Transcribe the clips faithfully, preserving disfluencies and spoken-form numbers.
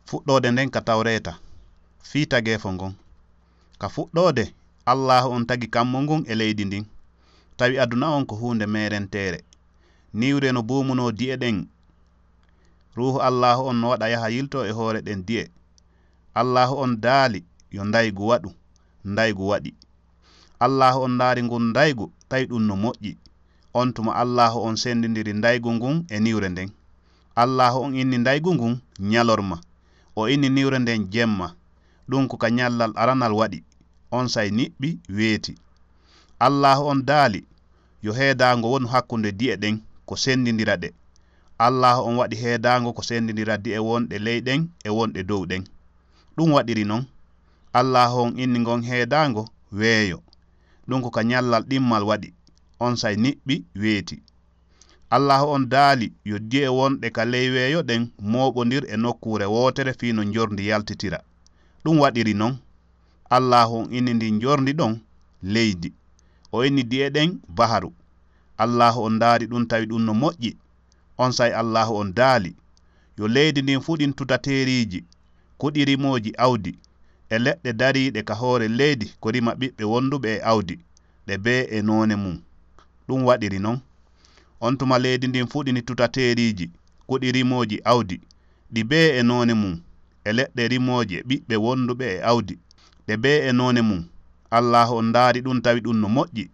Fuɗɗoode nden ka Tawreeta, fii tageefo ngon. Ka fuɗɗoode, Allaahu on tagi kammu ngun e leydi ndin, tawi aduna on ko huunde meerenteere. Niwre no buumunoo di'e ɗen. Ruuhu Allaahu on no waɗa yaha yiltoo e hoore ɗen di'e. Allaahu on daali, "Yo ndaygu waɗu." Ndaygu waɗi. Allaahu on ndaari ngun ndaygu, tawi ɗun no moƴƴi. On tuma Allaahu on sendindiri ndaygu ngun e niwre nden. Allaahu on inni ndaygu ngun ñalorma. O inni niwre nden jemma. Ɗun ko ka ñallal aranal waɗi. Onsay niɓɓi, weeti. Allaahu on daali, "Yo heedaango wonu hakkunde di'e ɗen, ko sendindira ɗe." Allaahu on waɗi heedaango ko sendindira di'e wonɗe ley ɗen e wonɗe dow ɗen. Ɗun waɗiri non. Allaahu on inni ngon heedaango weeyo. Ɗun ko ka ñallal ɗimmal waɗi. Onsay niɓɓi, weeti. Allaahu on daali, "Yo di'e wonɗe ka ley weeyo ɗen mooɓondir e nokkuure wootere fii no njorndi yaltitira." Ɗun waɗiri non. Allaahu on inni ndin njorndi ɗon leydi. O inni di'e ɗen baharu. Allaahu on ndaari ɗun, tawi ɗun no moƴƴi. Onsay Allaahu on daali, "Yo leydi ndin fuɗin tutateeriiji, kuɗi rimooji awdi, e leɗɗe dariiɗe ka hoore leydi ko rima ɓiɓɓe wonduɓe e awdi, ɗe bee e noone mun." Ɗun waɗiri non. On tuma leydi ndin fuɗini tutateeriiji, kuɗi rimooji awdi, ɗi bee e noone mun, e leɗɗe rimooje ɓiɓɓe wonduɓe e awdi, ɗe bee e noone mun. Allaahu on ndaari ɗun, tawi ɗun no moƴƴi.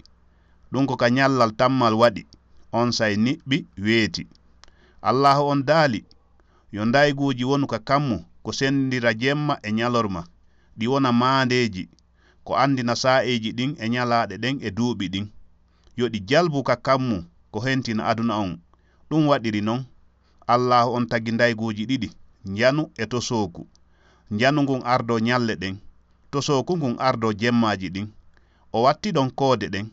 Ɗun ko ka ñallal tammal waɗi. Onsay niɓɓi, weeti. Allaahu on daali, "Yo ndayguuji wonu ka kammu ko sendindira jemma e ñalorma, ɗi wona maandeeji, ko andina saa'iiji ɗin e ñalaaɗe ɗen e duuɓi ɗin. Yo ɗi jalbu ka kammu ko hentina aduna on." Ɗun waɗiri non. Allaahu on tagi ndayguuji ɗiɗi, njanu e tosooku. Njanu ngun ardoo ñalle ɗen, tosooku ngun ardoo jemmaaji ɗin. O watti ɗon koode ɗen.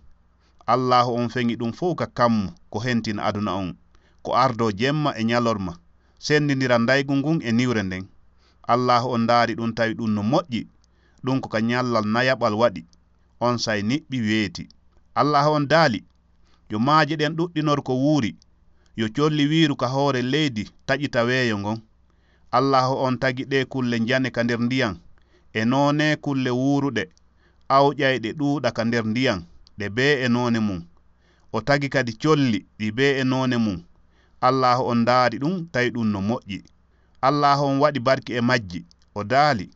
Allaahu on feŋi ɗun fow ka kammu ko hentina aduna on, ko ardoo jemma e ñalorma, sendindira ndaygu ngun e niwre nden. Allaahu on ndaari ɗun, tawi ɗun no moƴƴi. Ɗun ko ka ñallal nayaɓal waɗi. Onsay niɓɓi, weeti. Allaahu on daali, "Yo maaje ɗen ɗuɗɗinor ko wuuri. Yo colli wiiru ka hoore leydi taƴita weeyo ngon." Allaahu on tagi ɗee kulle njane ka nder ndiyan, e noonee kulle wuuruɗe, awƴayɗe ɗuuɗa ka nder ndiyan, ɗe bee e noone mun. O tagi kadi colli ɗi bee e noone mun. Allaahu on ndaari ɗun, tawi ɗun no moƴƴi. Allaahu on waɗi barki e majji. O daali,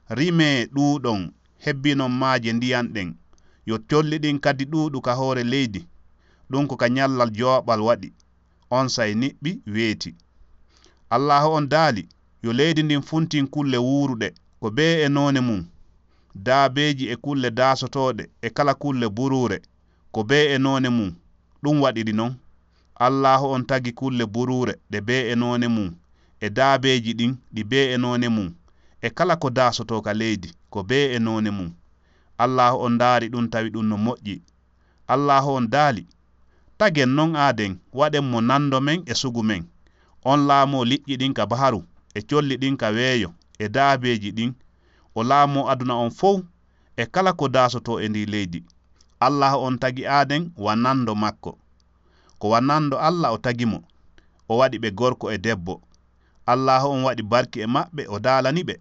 "Rimee, ɗuuɗon, hebbinon maaje ndiyan ɗen. Yo colli ɗin kadi ɗuuɗu ka hoore leydi." Ɗun ko ka ñallal jowaɓal waɗi. Onsay niɓɓi, weeti. Allaahu on daali, "Yo leydi ndin funtin kulle wuuruɗe, ko bee e noone mun, daabeeji e kulle daasotooɗe e kala kulle buruure, ko bee e noone mun." Ɗun waɗiri non. Allaahu on tagi kulle buruure ɗe bee e noone mun, e daabeeji ɗin ɗi bee e noone mun, e kala ko daasotoo ka leydi ko bee e noone mun. Allaahu on ndaari ɗun, tawi ɗun no moƴƴi. Allaahu on daali, "Tagen non aaden, waɗen mo nando men e sugu men. On laamoo liƴƴi ɗin ka baharu, e colli ɗin ka weeyo, e daabeeji ɗin. O laamoo aduna on fow, e kala ko daasotoo e ndii leydi." Allaahu on tagi aaden wa nando makko. Ko wa nando Alla o tagi mo. O waɗi ɓe gorko e debbo. Allaahu on waɗi barki e maɓɓe, o daalani ɓe,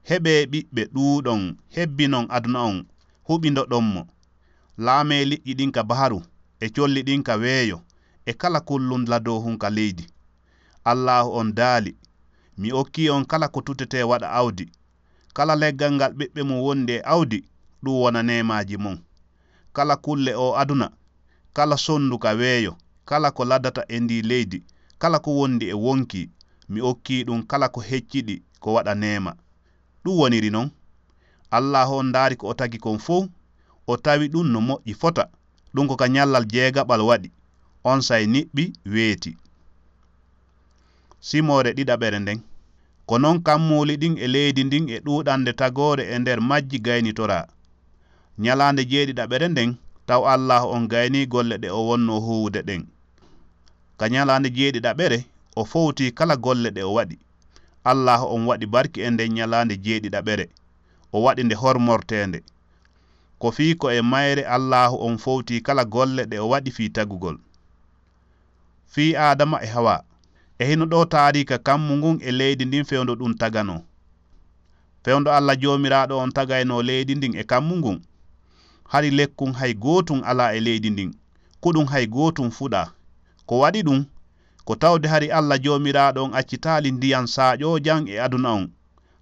"Heɓee ɓiɓɓe, ɗuuɗon, hebbinon aduna on, huɓindoɗon mo. Laamee liƴƴi ɗin ka baharu, e colli ɗin ka weeyo, e kala kullun ladoohun ka leydi." Allaahu on daali, "Mi okkii on kala ko tutetee waɗa awdi. Kala leggal ngal ɓiɓɓe mun wondi e awdi, ɗun wona neemaaji mon. Kala kulle oo aduna, kala sondu ka weeyo, kala ko ladata e ndii leydi, kala ko wondi e wonkii, mi okkii ɗun kala ko hecciɗi ko waɗa neema." Ɗun woniri non. Allaahu on ndaari ko o tagi kon fow, o tawi ɗun no moƴƴi fota. Ɗun ko ka ñallal jeegaɓal waɗi. Onsay niɓɓi, weeti. Simoore ɗiɗaɓere nden. Ko non kammuuli ɗin e leydi ndin e ɗuuɗande tagoore e nder majji gaynitoraa. Ñalaande jeeɗiɗaɓere nden, taw Allaahu on gaynii golle ɗe o wonnoo huuwude ɗen. Ka ñalaande jeeɗiɗaɓere, o fowtii kala golle ɗe o waɗi. Allaahu on waɗi barki e nden ñalaande jeeɗiɗaɓere, o waɗi nde hormorteende. Ko fii ko e mayre Allaahu on fowtii kala golle ɗe o waɗi fii tagugol. Fii Aadama e Hawaa. E hino ɗoo taariika kammu ngun e leydi ndin fewndo ɗun taganoo. Fewndo Alla Joomiraaɗo on tagaynoo leydi ndin e kammu ngun, hari lekkun hay gootun alaa e leydi ndin, kuɗun hay gootun fuɗaa. Ko waɗi ɗun, ko tawde hari Alla Joomiraaɗo on accitaali ndiyan saaƴoojan e aduna on,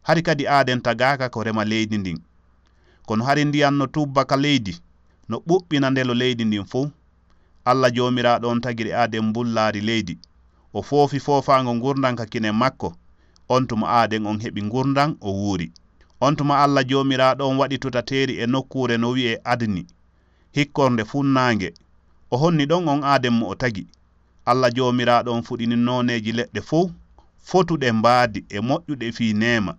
hari kadi aaden tagaaka ko rema leydi ndin. Kono hari ndiyan no tubba ka leydi, no ɓuɓɓina ndelo leydi ndin fow. Alla Joomiraaɗo on tagiri aaden mbullaari leydi. O foofi foofaango ngurndan ka kine makko. On tuma aaden on heɓi ngurndan, o wuuri. On tuma Alla Joomiraaɗo on waɗi tutateeri e nokkuure no wi'ee Adni, hikkornde funnaange. O honni ɗon on aaden mo o tagi. Alla Joomiraaɗo on fuɗini nooneeji leɗɗe fow, fotuɗe mbaadi e moƴƴuɗe fii neema.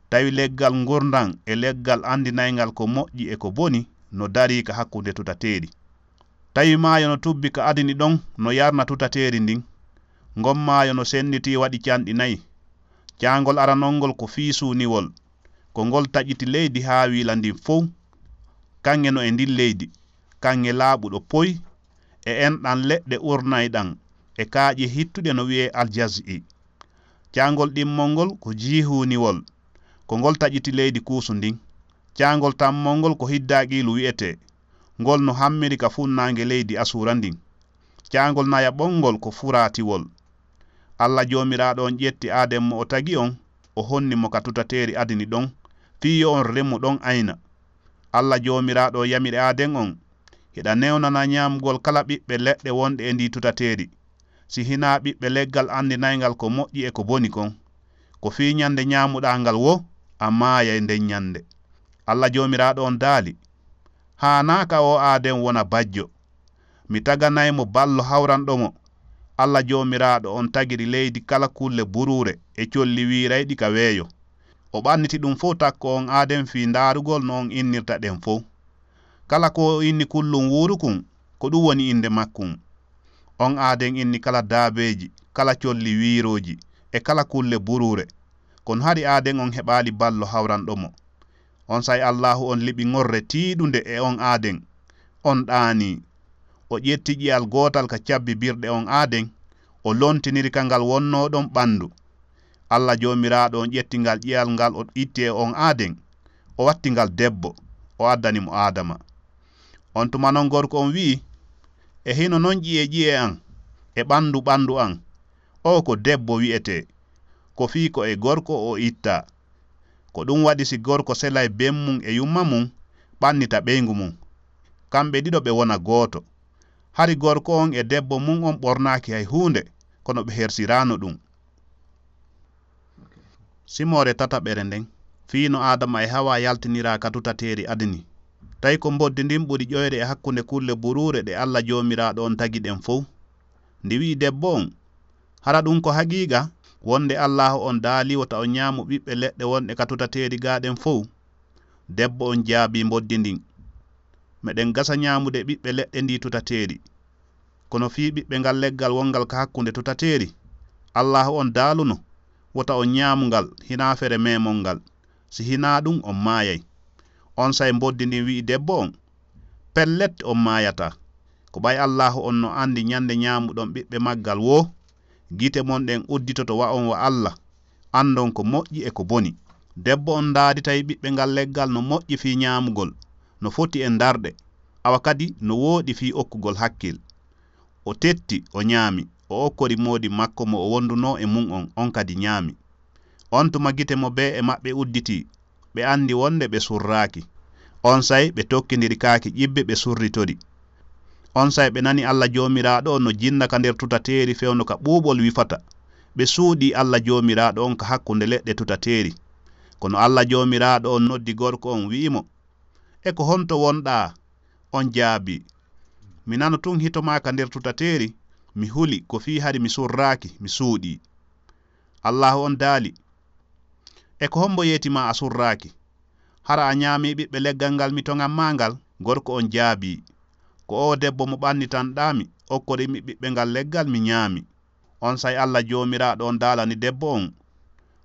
Tawi leggal ngurndan e leggal anndinayngal ko moƴƴi e ko boni no darii ka hakkunde tutateeri. Tawi maayo no tubbi ka Adini ɗon no yarna tutateeri ndin. Ngon maayo no sennitii waɗi canɗi nayi. Caangol aranol ngol ko fii suuniwol. Ko ngol taƴiti leydi Haawiila ndin fow. Kaŋŋe no e ndin leydi, kaŋŋe laaɓuɗo poy, e enɗan leɗɗe urnayɗan, e kaaƴe hittuɗe no wi'ee aljaz'i. Caangol ɗimmol ngol ko jiihuuniwol. Ko ngol taƴiti leydi Kuusu ndin. Caangol tammol ngol ko Hiddaaqiilu wi'etee. Ngol no hammiri ka funnaange leydi Asuura ndin. Caangol nayaɓol ngol ko Furaatiwol. Alla Joomiraaɗo on ƴetti aaden mo o tagi on, o honni mo ka tutateeri Adini ɗon, fii yo on remu ɗon ayna. Alla Joomiraaɗo on yamiri aaden on, hiɗa newnana ñaamugol kala ɓiɓɓe leɗɗe wonɗe e ndii tutateeri, si hinaa ɓiɓɓe leggal anndinayngal ko moƴƴi e ko boni kon. Ko fii ñande ñaamuɗaa ngal woo, a maayay nden ñande. Alla Joomiraaɗo on daali, haanaa ka oo aaden wona bajjo. Mi taganay mo ballo hawranɗo mo. Alla Joomiraaɗo on tagiri leydi kala kulle buruure e colli wiirayɗi ka weeyo. O ɓanniti ɗun fow takko on aaden fii ndaarugol no on innirta ɗen fow. Kala ko o inni kullun wuuru kun, ko ɗun woni innde makkun. On aaden inni kala daabeeji, kala colli wiirooji, e kala kulle buruure. Kono hari aaden on heɓaali ballo hawranɗo mo. Onsay Allaahu on liɓi ŋorre tiiɗunde e on aaden. On ɗaanii. O ƴetti ƴi'al gootal ka cabbi birɗe on aaden, o lontiniri ka ngal wonnoo ɗon ɓandu. Alla Joomiraaɗo on ƴetti ngal ƴi'al ngal o itti e on aaden, o watti ngal debbo, o addani mo Aadama. On tuma non gorko on wi'i, e hino non ƴi'e ƴi'e an, e ɓandu ɓandu an, oo ko debbo wi'etee, ko fii ko e gorko o ittaa. Ko ɗun waɗi si gorko selay ben mun e yumma mun, ɓannita ɓeyngu mun, kamɓe ɗiɗo ɓe wona gooto. Hari gorko on e debbo mun on ɓornaaki hay huunde, kono ɓe hersiraano ɗun. Simoore tataɓere nden, fii no Aadama e Hawaa yaltiniraa ka tutateeri Adini. Tawi ko mboddi ndin ɓuri ƴoyre e hakkunde kulle buruure ɗe Alla Joomiraaɗo on tagi ɗen fow. Ndi wi'i debbo on, hara ɗun ko haqiiqa, wonde Allaahu on daalii wota on ñaamu ɓiɓɓe leɗɗe wonɗe ka tutateeri gaa ɗen fow? Debbo on jaabii mboddi ndin, meɗen gasa ñaamude ɓiɓɓe leɗɗe ndii tutateeri. Kono fii ɓiɓɓe ngal leggal wongal ka hakkunde tutateeri, Allaahu on daaluno, wota on ñaamu ngal, hinaa fere meemol ngal. Si hinaa ɗun, on maayay. Onsay mboddi ndin wi'i debbo on, pellet, on maayataa. Ko ɓay Allaahu on no andi ñande ñaamuɗon ɓiɓɓe maggal woo, gite mon ɗen udditoto wa on wa Alla, andon ko moƴƴi e ko boni. Debbo on ndaadi tawi ɓiɓɓe ngal leggal no moƴƴi fii ñaamugol, no foti e ndarɗe, awa kadi no wooɗi fii okkugol hakkil. O tetti, o ñaami, o okkori moodi makko mo o wondunoo e mun on, on kadi ñaami. On tuma gite mo bee e maɓɓe udditii, ɓe andi wonde ɓe surraaki. Onsay ɓe tokkindiri kaaki ƴibbe, ɓe surritori. Onsay ɓe nani Alla Joomiraaɗo on no jinna ka nder tutateeri fewndo ka ɓuuɓol wifata. Ɓe suuɗii Alla Joomiraaɗo on ka hakkunde leɗɗe tutateeri. Kono Alla Joomiraaɗo on noddi gorko on, wi'i mo, e ko honto wonɗaa? On jaabii, mi nano tun hito maa ka nder tutateeri, mi huli ko fii hari mi surraaki, mi suuɗii. Allaahu on daali, e ko hombo yeeti maa a surraaki? Hara a ñaamii ɓiɓɓe leggal ngal mi toŋan maa ngal? Gorko on jaabii, ko oo debbo mo ɓannitanɗaa mi, okkorii mi ɓiɓɓe ngal leggal, mi ñaami. Onsay Alla Joomiraaɗo on daalani debbo on,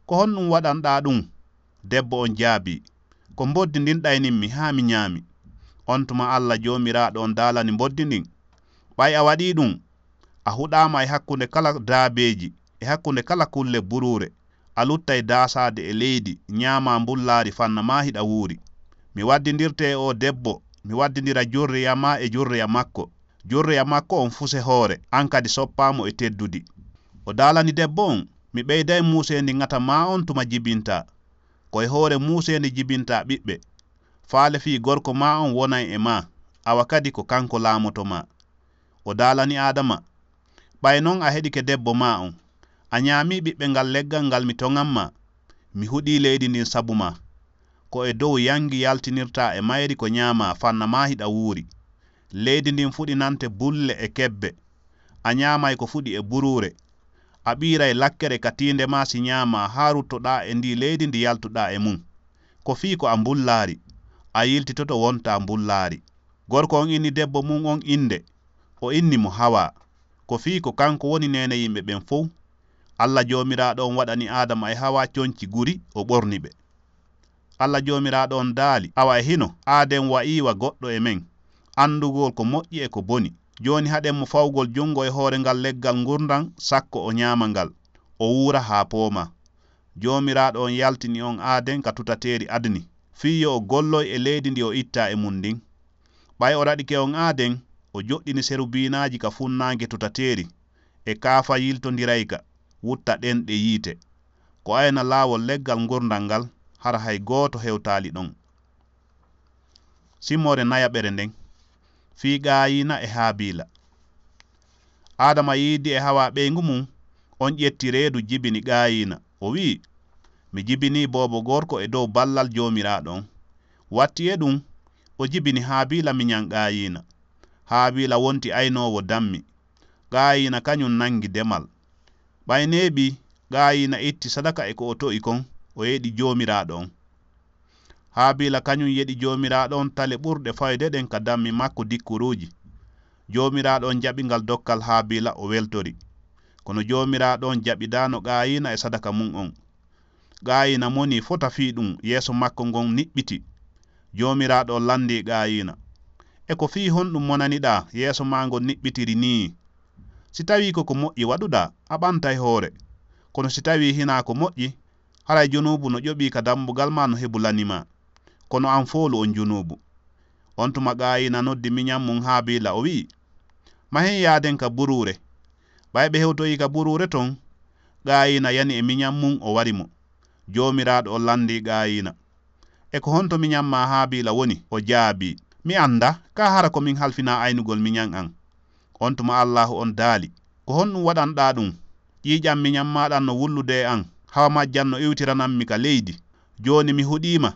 ko honɗun waɗanɗaa ɗun? Debbo on jaabii, ko mboddi ndin ɗaynimmi haa mi ñaami. On tuma Alla Joomiraaɗo on daalani mboddi ndin, ɓay a waɗii ɗun, a huɗaama e hakkunde kala daabeeji e hakkunde kala kulle buruure, a luttay daasaade e leydi, ñaamaa mbullaari fanna maa hiɗa wuuri. Mi waddindirte e oo debbo, mi waddindira jurriya maa e jurriya makko. Jurriya makko on fuse hoore, an kadi soppaa mo e teddudi. O daalani debbo on, mi ɓeyday muuseendi ŋata maa on tuma jibintaa. Ko e hoore muuseendi jibintaa ɓiɓɓe. Faale fii gorko maa on wonay e maa, awa kadi ko kanko laamoto maa. O daalani Aadama, ɓay non a heɗike debbo maa on, a ñaamii ɓiɓɓe ngal leggal ngal mi toŋan maa, mi huɗii leydi ndin sabu maa. Ko e dow yangi yaltinirtaa e mayri ko ñaamaa fanna maa hiɗa wuuri. Leydi ndin fuɗinante bulle e kebbe. A ñaamay ko fuɗi e buruure. A ɓiiray lakkere ka tiinde maa si ñaamaa haa ruttoɗaa e ndii leydi ndi yaltuɗaa e mun. Ko fii ko a mbullaari, a yiltitoto wontaa mbullaari. Gorko on inni debbo mun on innde, o inni mo Hawaa. Ko fii ko kanko woni neene yimɓe ɓen fow. Alla Joomiraaɗo on waɗani Aadama e Hawaa conci guri, o ɓorni ɓe. Alla Joomiraaɗo on daali, awa e hino, aaden wa'iiwa goɗɗo e men, anndugol ko moƴƴi e ko boni. Jooni haɗen mo fawgol junngo e hoore ngal leggal ngurndan, sakko o ñaama ngal, o wuura haa poomaa. Joomiraaɗo on yaltini on aaden ka tutateeri adni, fii yo o golloy e leydi ndi o ittaa e mun ndin. Ɓay o raɗike on aaden, o joɗɗini serubiinaaji ka funnaange tutateeri, e kaafa yiltondirayka, wutta ɗenɗe yiite. Ko ayna laawol leggal ngurndan ngal, hara hay gooto hewtaali ɗon. Simmoore nayaɓere nden, fii Qaayiina e Haabiila. Aadama yiidi e Hawaa ɓeyngu mun, on ƴetti reedu jibini Qaayiina. O wi'i, mi jibinii boobo gorko e dow ballal Joomiraaɗo on. Watti e ɗun, o jibini Haabiila miñan Qaayiina. Haabiila wonti aynoowo dammi. Qaayiina kañun nangi demal. Ɓay neeɓii, Qaayiina itti sadaka e ko o to'i kon, o yeɗi Joomiraaɗo on. Haabiila kañun yeɗi Joomiraaɗo on tale ɓurɗe fayde ɗen ka dammi makko dikkuruuji. Joomiraaɗo on jaɓi ngal dokkal Haabiila, o weltori. Kono Joomiraaɗo on jaɓidaano Qaayiina e sadaka mun on. Qaayiina monii fota fii ɗun, yeeso makko ngon niɓɓiti. Joomiraaɗo on landii Qaayiina, e ko fii honɗun monaniɗaa yeeso maa ngon niɓɓitiri nii? Si tawii ko ko moƴƴi waɗuɗaa, a ɓantay hoore. Kono si tawii hinaa ko moƴƴi, haray junuubu no ƴoɓii ka dambugal maa no hebulani maa. Kono an foolu on junuubu. On tuma Qaayiina noddi miñan mun Haabiila, o wi'i, mahen yaaden ka buruure. Ɓay ɓe hewtoyii ka buruure ton, Qaayiina yani e miñan mun, o wari mo. Joomiraaɗo on landii Qaayiina, e ko honto miñan maa Haabiila woni? O jaabii, mi anndaa, kaa hara ko min halfinaa aynugol miñan an. On tuma Allaahu on daali, ko honɗun waɗanɗaa ɗun? Ƴiiƴan miñan maa ɗan no wullude e an, hawa majjan no iwtiranammi ka leydi. Jooni mi huɗii ma.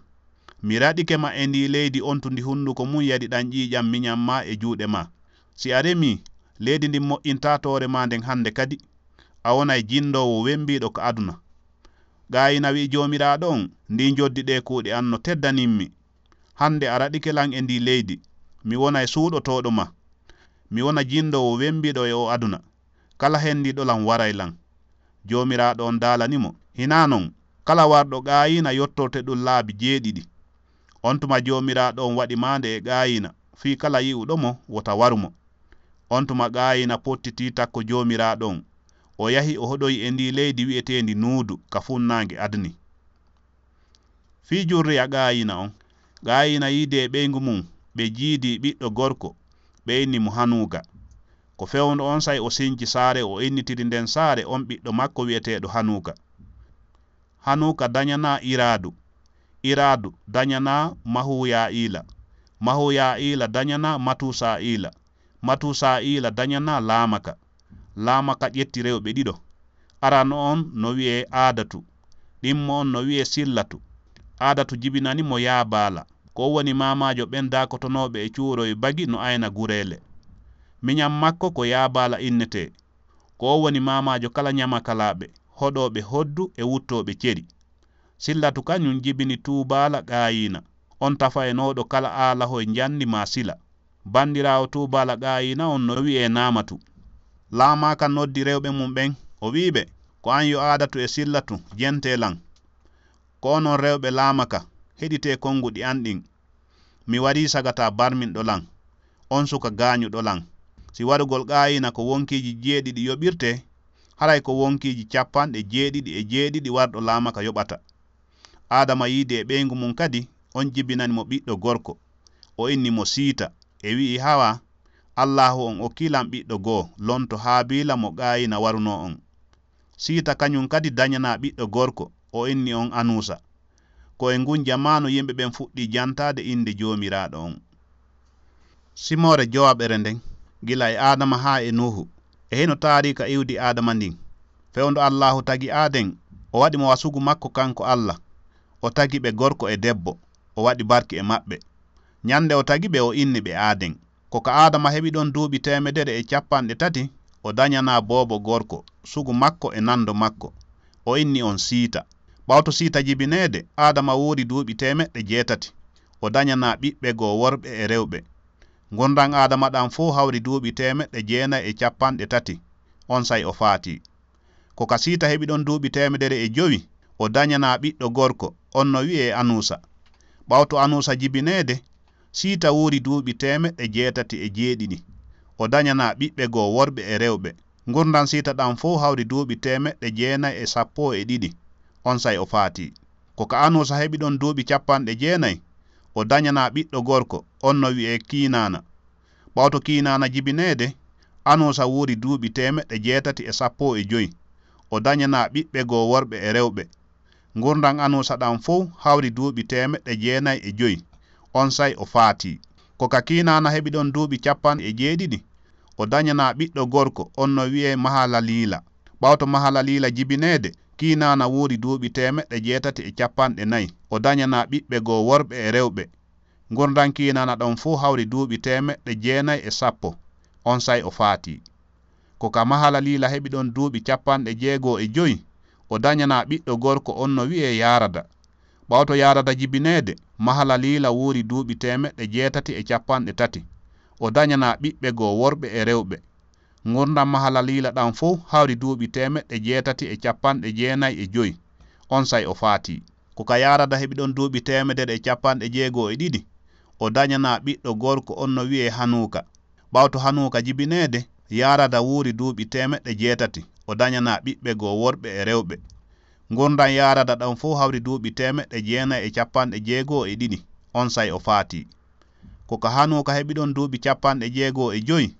Mi raɗike ma e ndii leydi ontundi hunduko mun yadi ɗan ƴiiƴan miñan maa e juuɗe maa. Si a remii, leydi ndin moƴƴintaa toore maa nden hande kadi. A wonay jindoowo wembiiɗo ka aduna. Qaayiina wi'i Joomiraaɗo on, ndii njoddi ɗee kuuɗe an no teddanimmi. Hande a raɗike lan e ndii leydi, mi wonay suuɗotooɗo ma. Mi wona jindoowo wembiiɗo e oo aduna. Kala hendiiɗo lan waray lan. Joomiraaɗo on daalani mo, hinaa non, kala warɗo Qaayiina yottorte ɗun laabi jeeɗiɗi. On tuma Joomiraaɗo on waɗi maande e Qaayiina, fii kala yi'uɗo mo wota waru mo. On tuma Qaayiina pottitii takko Joomiraaɗo on. O yahi o hoɗoyi e ndii leydi wi'eteendi Nuudu ka funnaange Adni. Fii jurriya Qaayiina on, Qaayiina yiidi e ɓeyngu mun, ɓe jiidi ɓiɗɗo gorko, ɓe inni mo Hanuuka. Ko fewndo onsay o sinci saare, o innitiri nden saare on ɓiɗɗo makko wi'eteeɗo Hanuuka. Hanuuka dañanaa Iraadu, Iraadu dañanaa Mahuya'iila, Mahuya'iila dañanaa Matusa'iila, Matusa'iila dañanaa Laamaka. Laamaka ƴetti rewɓe ɗiɗo. Arano on no wi'ee Aadatu, ɗimmo on no wi'ee Sillatu. Aadatu jibinani mo Yaabaala. Ko o woni maamaajo ɓen daakotonooɓe e cuuroy bagi no ayna gureele. Miñan makko ko Yaabaala innetee. Ko o woni maamaajo kala ñamakalaaɓe, hoɗooɓe hoddu e wuttooɓe ceri. Sillatu kañun jibini Tuubaala Qaayiina, on tafaynooɗo kala aalahoy njanndi maa sila. Bandiraawo Tuubaala Qaayiina on no wi'ee Naamatu. Laamaka noddi rewɓe mun ɓen, o wi'i ɓe, ko an yo Aadatu e Sillatu, jentee lan. Ko onon rewɓe Laamaka, heɗitee konguɗi an ɗin. Mi warii sagata barminɗo lan, on suka gaañuɗo lan. Si warugol Qaayiina ko wonkiiji jeeɗiɗi yoɓirtee, haray ko wonkiiji cappanɗe jeeɗiɗi e jeeɗiɗi warɗo laamaka yoɓata. Aadama yiidi e ɓeyngu mum kadi, on jibinani mo ɓiɗɗo gorko. O inni mo Siita, e wi'i, Hawa, Allaahu on okkii lan ɓiɗɗo goo, lonto Haabiila mo Qaayina warunoo on. Siita kañum kadi dañanaa ɓiɗɗo gorko, o inni on Anuusa. Ko e ngun jamaanu yimɓe ɓen fuɗɗii jantaade innde Joomiraaɗo on. Simoore jowaɓere nden, gila e Aadama haa e Nuuhu, e hino taariika iwdi Aadama ndin. Fewndo Allaahu tagi Aaden, o waɗi mo wa sugu makko kanko Alla. O tagi ɓe gorko e debbo, o waɗi barki e maɓɓe. Ñande o tagi ɓe, o inni ɓe Aaden. Ko ka Aadama heɓi ɗon duuɓi teemedere e cappanɗe tati, o dañanaa boobo gorko, sugu makko e nando makko. O inni on Siita. Ɓawto Siita jibineede, Aadama wuuri duuɓi teemeɗɗe jeetati. O dañanaa ɓiɓɓe goo worɓe e rewɓe. Ngurndan Aadama ɗan fow hawri duuɓi teemeɗɗe jeenay e cappanɗe tati. Onsay o faatii. Ko ka Siita heɓi ɗon duuɓi teemedere e jowi, o dañanaa ɓiɗɗo gorko, on no wi'ee Anuusa. Ɓawto Anuusa jibineede, Siita wuuri duuɓi teemeɗɗe jeetati e jeeɗiɗi. O dañanaa ɓiɓɓe goo worɓe e rewɓe. Ngurndan Siita ɗan fow hawri duuɓi teemeɗɗe jeenay e sappo e ɗiɗi. Onsay o faatii. Ko ka Anuusa heɓi ɗon duuɓi cappanɗe jeenay, o dañanaa ɓiɗɗo gorko, on no wi'ee Kiinaana. Ɓawto Kiinaana jibineede, Anuusa wuuri duuɓi teemeɗɗe jeetati e sappo e jowi. O dañanaa ɓiɓɓe goo worɓe e rewɓe. Ngurndan Anuusa ɗan fow hawri duuɓi teemeɗɗe jeenay e jowi. Onsay o faatii. Ko ka Kiinaana heɓi ɗon duuɓi cappanɗe jeeɗiɗi, o dañanaa ɓiɗɗo gorko, on no wi'ee Mahalaliila. Ɓawto Mahalaliila jibineede, Kiinaana wuuri duuɓi teemeɗɗe jeetati e cappanɗe nayi. O dañanaa ɓiɓɓe goo worɓe e rewɓe. Ngurndan Kiinaana ɗon fow hawri duuɓi teemeɗɗe jeenay e sappo. Onsay o faatii. Ko ka Mahalaliila heɓi ɗon duuɓi cappanɗe jeego e jowi, o dañanaa ɓiɗɗo gorko, on no wi'ee Yaarada. Ɓawto Yaarada jibineede, Mahalaliila wuuri duuɓi teemeɗɗe jeetati e cappanɗe tati. O dañanaa ɓiɓɓe goo worɓe e rewɓe. Ngurndan Mahalaliila ɗan fow hawri duuɓi teemeɗɗe jeetati e cappanɗe jeenay e jowi. Onsay o faatii. Ko ka Yaarada heɓi ɗon duuɓi teemedere e cappanɗe jeego e ɗiɗi, o dañanaa ɓiɗɗo gorko, on no wi'ee Hanuuka. Ɓawto Hanuuka jibineede, Yaarada wuuri duuɓi teemeɗɗe jeetati, o dañanaa ɓiɓɓe goo worɓe e rewɓe. Ngurndan Yaarada ɗan fow hawri duuɓi teemeɗɗe jeenay e cappanɗe jeego e ɗiɗi, onsay o faatii. Ko ka Hanuuka heɓi ɗon duuɓi cappanɗe jeego e jowi,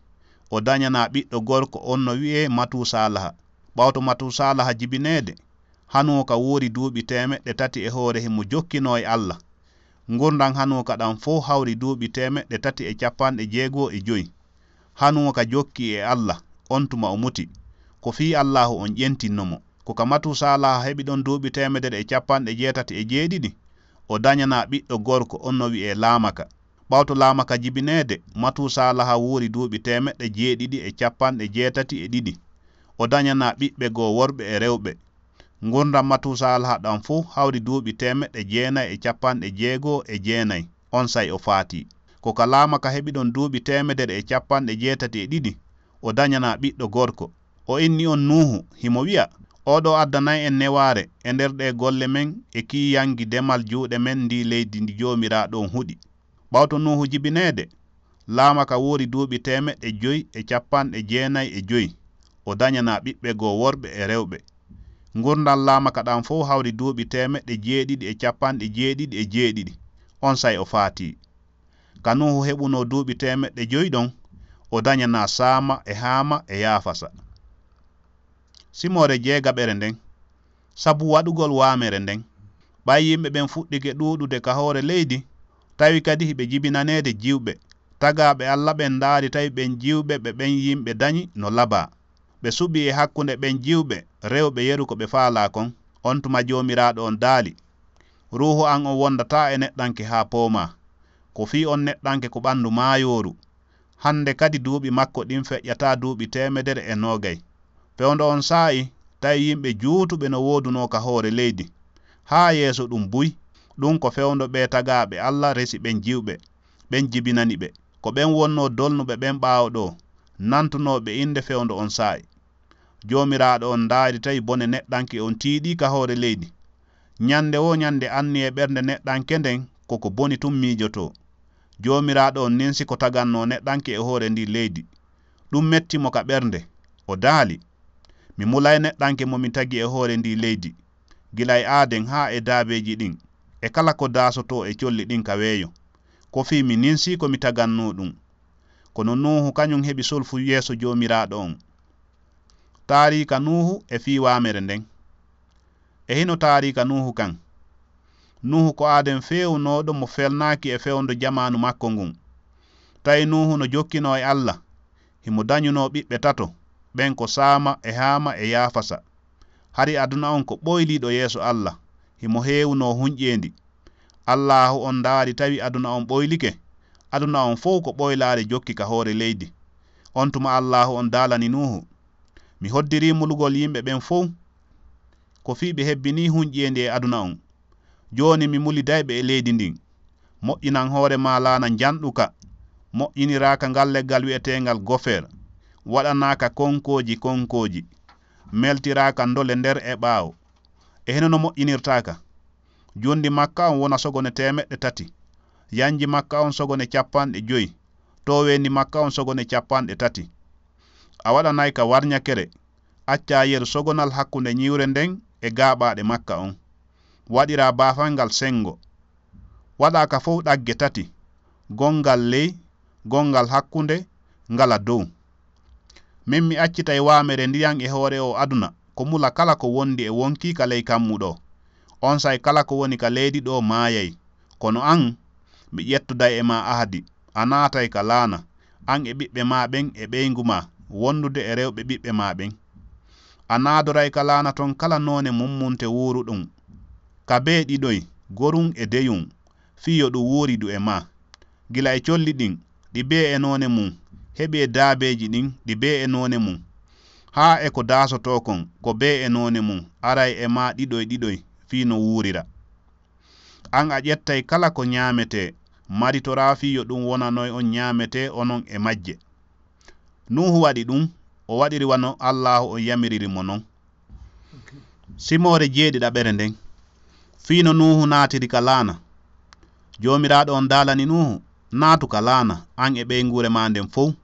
o dañanaa ɓiɗɗo gorko, on no wi'ee Matuusaalaha. Ɓawto Matuusaalaha jibineede, Hanuuka wuuri duuɓi teemeɗɗe tati e hoore himo jokkinoo e Alla. Ngurndan Hanuuka ɗan fow hawri duuɓi teemeɗɗe tati e cappanɗe jeego e jowi. Hanuuka jokki e Alla, on tuma o muti. Ko fii Allaahu on ƴentinno mo. Ko ka Matuusaalaha heɓi ɗon duuɓi teemedere e cappanɗe jeetati e jeeɗiɗi, o dañanaa ɓiɗɗo gorko, on no wi'ee Laamaka. Ɓawto Laamaka jibineede, Matuusaalaha wuuri duuɓi teemeɗɗe jeeɗiɗi e cappanɗe jeetati e ɗiɗi. O dañanaa ɓiɓɓe goo worɓe e rewɓe. Ngurndan Matuusaalaha ɗan fow hawri duuɓi teemeɗɗe jeenay e cappanɗe jeego e jeenay, onsay o faatii. Ko ka Laamaka heɓi ɗon duuɓi teemedere e cappanɗe jeetati e ɗiɗi, o dañanaa ɓiɗɗo gorko. O inni on Nuuhu, himo wi'a, "Oo ɗoo addanay en newaare e nder ɗee golle men e kiiyangi demal juuɗe men ndii leydi ndi Joomiraaɗo on huɗi." Ɓawto Nuuhu jibineede, Laamaka wuuri duuɓi teemeɗɗe jowi e cappanɗe jeenay e jowi, o dañanaa ɓiɓɓe goo worɓe e rewɓe. Ngurndan Laamaka ɗan fow hawri duuɓi teemeɗɗe jeeɗiɗi e cappanɗe jeeɗiɗi e jeeɗiɗi, onsay o faatii. Ka Nuuhu heɓunoo duuɓi teemeɗɗe jowi ɗon, o dañanaa Saama e Haama e Yaafasa. Simoore jeegaɓere nden, sabu waɗugol waamere nden. Ɓay yimɓe ɓen fuɗɗike ɗuuɗude ka hoore leydi, tawi kadi hiɓe jibinaneede jiwɓe, tagaaɓe Alla ɓen ndaari tawi ɓen jiwɓe ɓe ɓen yimɓe dañi no labaa. Ɓe suɓii e hakkunde ɓen jiwɓe rewɓe yeru ko ɓe faalaa kon. On tuma Joomiraaɗo on daali, "Ruuhu an on wondataa e neɗɗanke haa poomaa. Ko fii on neɗɗanke ko ɓandu maayooru. Hande kadi duuɓi makko ɗin feƴƴataa duuɓi teemedere e noogay." Fewndo on saa'i, tawi yimɓe juutuɓe no woodunoo ka hoore leydi. Haa yeeso ɗun buy, ɗun ko fewndo ɓee tagaaɓe Alla resi ɓen jiwɓe, ɓen jibinani ɓe. Ko ɓen wonnoo dolnuɓe ɓen ɓaawo ɗoo, nantunooɓe innde fewndo on saa'i. Joomiraaɗo on ndaari tawi bone neɗɗanke on tiiɗii ka hoore leydi. Ñande woo ñande anniyee ɓernde neɗɗanke nden ko ko boni tun miijotoo. Joomiraaɗo on ninsi ko tagannoo neɗɗanke e hoore ndin leydi. Ɗun metti mo ka ɓernde. O daali, Mi mulay neɗɗanke mo mi tagi e hoore ndii leydi, gila e aaden haa e daabeeji ɗin, e kala ko daasotoo e colli ɗin ka weeyo, ko fii mi ninsii ko mi tagannoo ɗun. Kono Nuuhu kañun heɓi sulfu yeeso Joomiraaɗo on. Taariika Nuuhu e fii waamere nden. E hino taariika Nuuhu kan. Nuuhu ko aaden feewunooɗo mo felnaaki e fewndo jamaanu makko ngun. Tawi Nuuhu no jokkinoo e Alla, himo dañunoo ɓiɓɓe tato, ɓen ko Saama e Haama e Yaafasa. Hari aduna on ko ɓoyliiɗo yeeso Alla, himo heewunoo hunƴeendi. Allaahu on ndaari tawi aduna on ɓoylike, aduna on fow ko ɓoylaare jokki ka hoore leydi. On tuma Allaahu on daalani Nuuhu, Mi hoddirii mulugol yimɓe ɓen fow, ko fii ɓe hebbinii hunƴeendi e aduna on. Jooni mi muliday ɓe e leydi ndin. Moƴƴinan hoore maa laana njanɗuka, moƴƴiniraaka ngal leggal wi'eteengal gofer, waɗanaaka konkooji konkooji, meltiraaka ndole nder e ɓaawo. E hino no moƴƴinirtaaka. Junndi makka on wona sogone teemeɗɗe tati, yanji makka on sogone capanɗe joyi, tooweendi makka on sogone capanɗe tati. A waɗanay ka warñakere, accaa yeru sogonal hakkunde ñiwre nden e gaaɓaaɗe makka on. Waɗiraa baafal ngal senngo. Waɗaa ka fow ɗagge tati, gonngal ley, gonngal hakkunde, ngala dow. Min mi accitay waamere ndiyan e hoore oo aduna, ko mula kala ko wondi e wonkii ka ley kammu ɗoo. Onsay kala ko woni ka leydi ɗoo maayay. Kono an, mi ƴettuday e maa ahadi, a naatay ka laana, an e ɓiɓɓe maa ɓen e ɓeyngu maa, wondude e rewɓe ɓiɓɓe maa ɓen. A naadoray ka laana ton kala noone mummunte wuuruɗun, ka bee ɗiɗoy, gorun e deyun, fii yo ɗun wuuridu e maa. Gila e colli ɗin, ɗi bee e noone mun, heɓi e daabeeji ɗin, ɗi bee e noone mun, haa e ko daasotoo kon, ko bee e noone mun, aray e maa ɗiɗoy ɗiɗoy, fii no wuurira. An a ƴettay kala ko ñaametee, maritoraa fii yo ɗun wonanoy on ñaametee onon e majje. Nuuhu waɗi ɗun, o waɗiri wano Allaahu on yamiriri mo non. Simoore jeeɗiɗaɓere nden. Fii no Nuuhu naatiri ka laana. Joomiraaɗo on daalani Nuuhu, Naatu ka laana, an e ɓeynguure maa nden fow.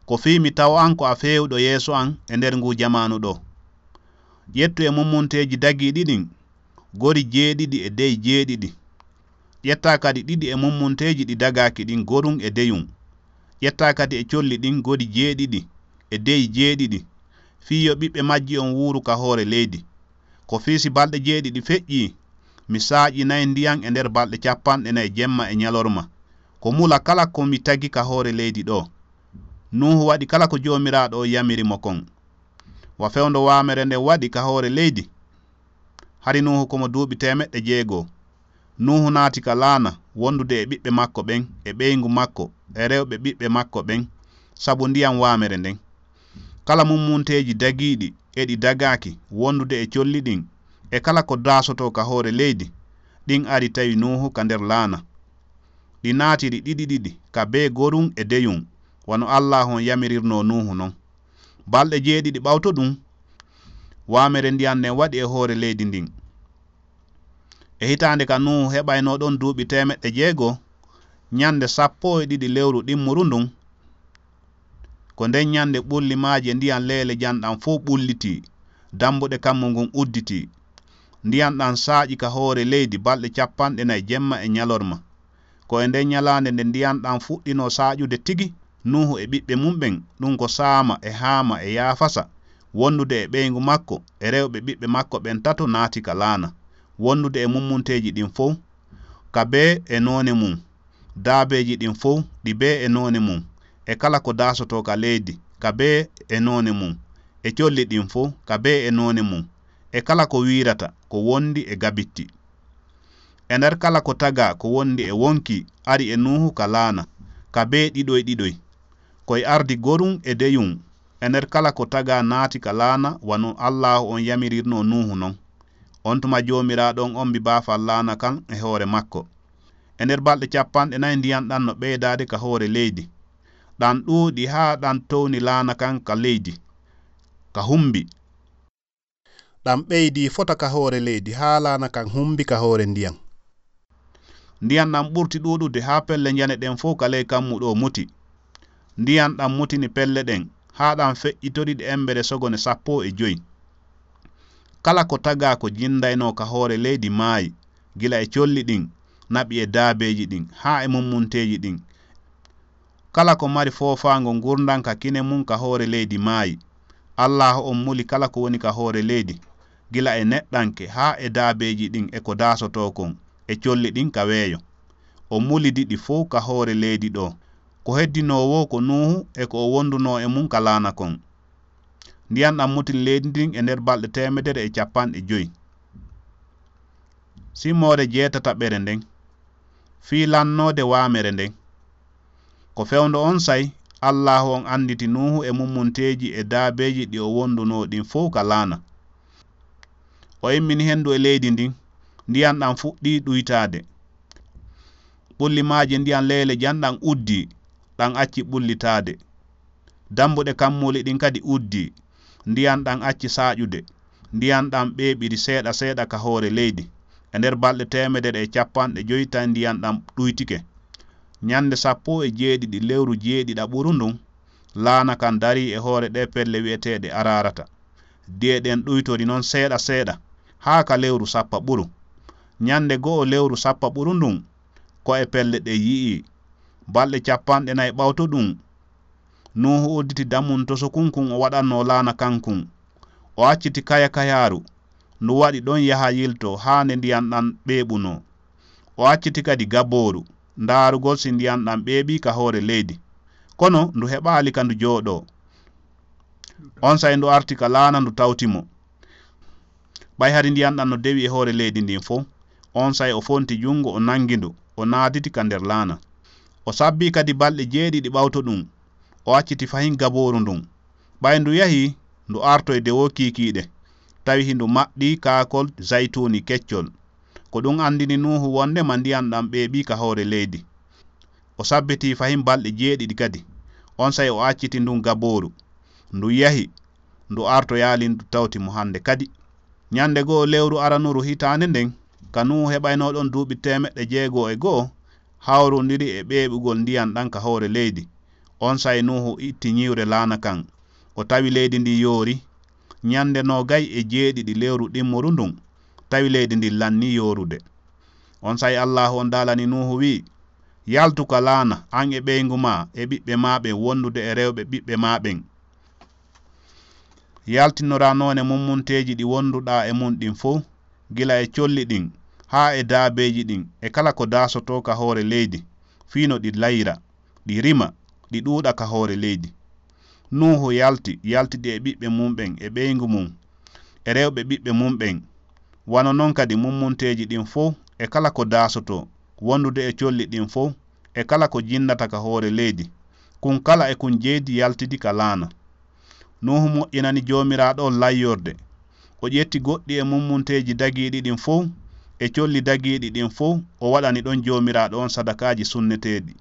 Ko fii mi tawa an ko a feewuɗo yeeso an e nder nguu jamaanu ɗoo. Ƴettu e mummunteeji dagiiɗi ɗin, gori jeeɗiɗi e dey jeeɗiɗi. Ƴettaa kadi ɗiɗi e mummunteeji ɗi dagaaki ɗin, gorun e deyun. Ƴettaa kadi e colli ɗin, gori jeeɗiɗi e dey jeeɗiɗi, fii yo ɓiɓɓe majji on wuuru ka hoore leydi. Ko fii si balɗe jeeɗiɗi feƴƴii, mi saaƴinay ndiyan e nder balɗe capanɗe nayi jemma e ñalorma, ko mula kala ko mi tagi ka hoore leydi ɗoo. Nuuhu waɗi kala ko Joomiraaɗo on yamiri mo kon. Wa fewndo waamere nden waɗi ka hoore leydi. Hari Nuuhu ko mo duuɓi teemeɗɗe jeego. Nuuhu naati ka laana, wondude e ɓiɓɓe makko ɓen, e ɓeyngu makko, e rewɓe ɓiɓɓe makko ɓen, sabu ndiyan waamere nden. Kala mummunteeji dagiiɗi e ɗi dagaaki, wondude e colli ɗin, e kala ko daasotoo ka hoore leydi, ɗin ari tawi Nuuhu ka nder laana. Ɗi naatiri ɗiɗi ɗiɗi, ka bee gorun e deyun, wano Allaahu on yamirirnoo Nuuhu non. Balɗe jeeɗiɗi ɓawto ɗun, waamere ndiyan nden waɗi e hoore leydi ndin. E hitaande ka Nuuhu heɓaynoo ɗon duuɓi teemeɗɗe jeego, ñande sappo e ɗiɗi lewru ɗimmuru ndun, ko nden ñande ɓulli maaje ndiyan leele jan ɗan fow ɓullitii, dambuɗe kammu ngun udditii. Ndiyan ɗan saaƴi ka hoore leydi balɗe capanɗe nayi jemma e ñalorma. Ko e nden ñalaande nde ndiyan ɗan fuɗɗinoo saaƴude tigi, Nuuhu e ɓiɓɓe mun ɓen, ɗun ko Saama e Haama e Yaafasa, wondude e ɓeyngu makko e rewɓe ɓiɓɓe makko ɓen tato naati ka laana, wondude e mummunteeji ɗin fow, ka bee e noone mun, daabeeji ɗin fow ɗi bee e noone mun, e kala ko daasotoo ka leydi ka bee e noone mun, e colli ɗin fow ka bee e noone mun, e kala ko wiirata ko wondi e gabitti. E nder kala ko tagaa ko wondi e wonkii ari e Nuuhu ka laana, ka bee ɗiɗoy ɗiɗoy. Ko e ardi gorun e deyun, e nder kala ko tagaa naati ka laana wano Allaahu on yamirirnoo Nuuhu non. Ontuma Joomiraaɗo on ombi baafal laana kan e hoore makko. E nder balɗe capanɗe nayi ndiyan ɗan no ɓeydaade ka hoore leydi. Ɗan ɗuuɗi haa ɗan towni laana kan ka leydi, ka humbi. Ɗan ɓeydii fota ka hoore leydi haa laana kan humbi ka hoore ndiyan. Ndiyan ɗan ɓurti ɗuuɗude haa pelle njane ɗen fow ka ley kammu ɗoo muti. Ndiyan ɗan mutini pelle ɗen, haa ɗam feƴƴitori ɗe emmbere sogone sappo e joy. Kala ko tagaa ko jinndaynoo ka hoore leydi maayi, gila e colli ɗin, naɓi e daabeeji ɗin, haa e mummunteeji ɗin. Kala ko mari foofaango ngurndan ka kine mun ka hoore leydi maayi. Allaahu on muli kala ko woni ka hoore leydi, gila e neɗɗanke haa e daabeeji ɗin e ko daasotoo kon, e colli ɗin ka weeyo. O mulidi ɗi fow ka hoore leydi ɗoo. Ko heddinoo woo ko Nuuhu e ko o wondunoo e mun ka laana kon. Ndiyan ɗan mutini leydi ndin e nder balɗe teemedere e cappanɗe joy. Simoore jeetataɓere nden, fii lannoode waamere nden. Ko fewndo onsay, Allaahu on annditi Nuuhu e mummunteeji e daabeeji ɗi o wondunoo ɗin fow ka laana. O immini hendu e leydi ndin, ndiyan ɗan fuɗɗii ɗuytaade. Ɓulli maaje ndiyan leele jan ɗan uddii, ɗan acci ɓullitaade. Dambuɗe kammuuli ɗin kadi uddii, ndiyan ɗan acci saaƴude. Ndiyan ɗan ɓeeɓiri seeɗa seeɗa ka hoore leydi. E nder balɗe teemedere e cappanɗe joy tawi ndiyan ɗan ɗuytike. Ñannde sappo e jeeɗiɗi lewru jeeɗiɗaɓuru ndun, laana kan darii e hoore ɗee pelle wi'eteeɗe Araarata. Di'e ɗen ɗuytori non seeɗa seeɗa, haa ka lewru sappaɓuru. Ñannde go'o lewru sappaɓuru ndun, ko'e pelle ɗen yi'ii. Balɗe cappanɗe nay ɓawto ɗun, Nuuhu udditi damun tosokun kun o waɗannoo laana kan kun. O acciti kaya kayaaru, ndu waɗi ɗon yaha yiltoo haa nde ndiyan ɗan ɓeeɓunoo. O acciti kadi gabooru, ndaarugol si ndiyan ɗan ɓeeɓii ka hoore leydi. Kono ndu heɓaali ka ndu jooɗoo. Onsay ndu arti ka laana ndu tawti mo. Ɓay hari ndiyan ɗan no dewi e hoore leydi ndin fow, onsay o fonti jungo, o nangi ndu, o naaditi ka nder laana. O sabbii kadi balɗe jeeɗiɗi ɓawto ɗun, o acciti fahin gabooru ndun. Ɓay ndu yahi, ndu artoy dewoo kiikiiɗe, tawi hindu maɓɓii kaakol zaytuuni keccol. Ko ɗun andini Nuuhu wondema ndiyan ɗan ɓeeɓii ka hoore leydi. O sabbitii fahin balɗe jeeɗiɗi kadi. Onsay o acciti ndun gabooru. Ndu yahi, ndu artoyaali ndu tawti mo hande kadi. Ñande go'o lewru aranuru hitaande nden, ka Nuuhu heɓaynoo ɗon duuɓi teemeɗɗe jeego e go'o, hawrundiri e ɓeeɓugol ndiyan ɗan ka hoore leydi. Onsay Nuuhu itti ñiwre laana kan. O tawi leydi ndin yoori. Ñande noogay e jeeɗiɗi lewru ɗimmoru ndun, tawi leydi ndin lannii yoorude. Onsay Allaahu on daalani Nuuhu wi'i, "Yaltu ka laana, an e ɓeyngu maa, e ɓiɓɓe maa ɓen, wondude e rewɓe ɓiɓɓe maa ɓen. Yaltinoraa noone mummunteeji ɗi wonduɗaa e mun ɗin fow, gila e colli ɗin, haa e daabeeji ɗin, e kala ko daasotoo ka hoore leydi, fii no ɗi layira, ɗi rima, ɗi ɗuuɗa ka hoore leydi." Nuuhu yalti, yaltidi e ɓiɓɓe mun ɓen, e ɓeyngu mun, e rewɓe ɓiɓɓe mun ɓen. Wano non kadi mummunteeji ɗin fow, e kala ko daasotoo, wondude e colli ɗin fow, e kala ko jinnata ka hoore leydi. Kun kala e kun jeydi yaltidi ka laana. Nuuhu moƴƴinani Joomiraaɗo on layyorde. O ƴetti goɗɗi e mummunteeji dagiiɗi ɗin fow, e colli dagiiɗi ɗin fow, o waɗani ɗon Joomiraaɗo on sadakaaji sunneteeɗi.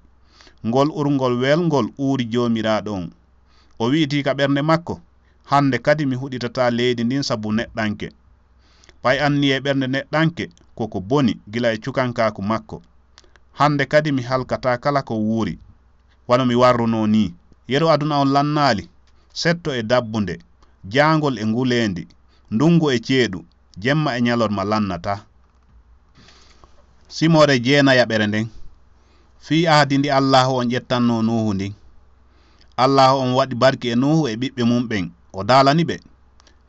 Ngol urngol welngol uuri Joomiraaɗo on. O wi'iti ka ɓernde makko, "Hande kadi mi huɗitataa leydi ndin sabu neɗɗanke." Ɓay anniyee ɓernde neɗɗanke ko ko boni gila e cukankaaku makko. "Hande kadi mi halkataa kala ko wuuri, wano mi warrunoo nii." Yeru aduna on lannaali, setto e dabbunde, jaangol e nguleendi, ndungu e ceeɗu, jemma e ñalorma lannataa. Simoore jeenayaɓere nden, fii ahdi ndi Allaahu on ƴettannoo Nuuhu ndin. Allaahu on waɗi barki e Nuuhu e ɓiɓɓe mun ɓen, o daalani ɓe,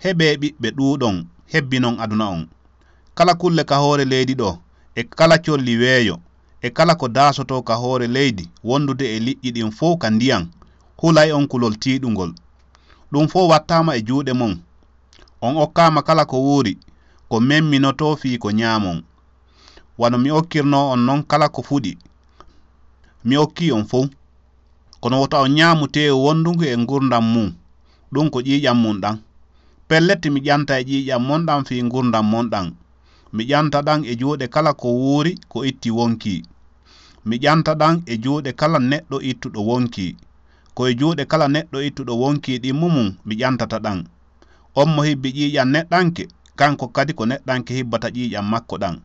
"Heɓee ɓiɓɓe, ɗuuɗon, hebbinon aduna on." Kala kulle ka hoore leydi ɗoo, e kala colli weeyo, e kala ko daasotoo ka hoore leydi wondude e liƴƴi ɗin fow ka ndiyan, hulay on kulol tiiɗungol. Ɗun fow wattaama e juuɗe mon. On okkaama kala ko wuuri, ko memminotoo fii ko ñaamon. Wano mi okkirnoo on non kala ko fuɗi, mi okkii on fow. Kono wota on ñaamu teewu wondungu e ngurndan mun, ɗun ko ƴiiƴan mun ɗan. Pellet, mi ƴanta e ƴiiƴan mon ɗan fii ngurndan mon ɗan. Mi ƴanta ɗan e juuɗe kala ko wuuri ko itti wonkii. Mi ƴanta ɗan e juuɗe kala neɗɗo ittuɗo wonkii. Ko e juuɗe kala neɗɗo ittuɗo wonkii ɗimmu mun mi ƴantata ɗan. On mo hibbi ƴiiƴan neɗɗanke, kanko kadi ko neɗɗanke hibbata ƴiiƴan makko ɗan.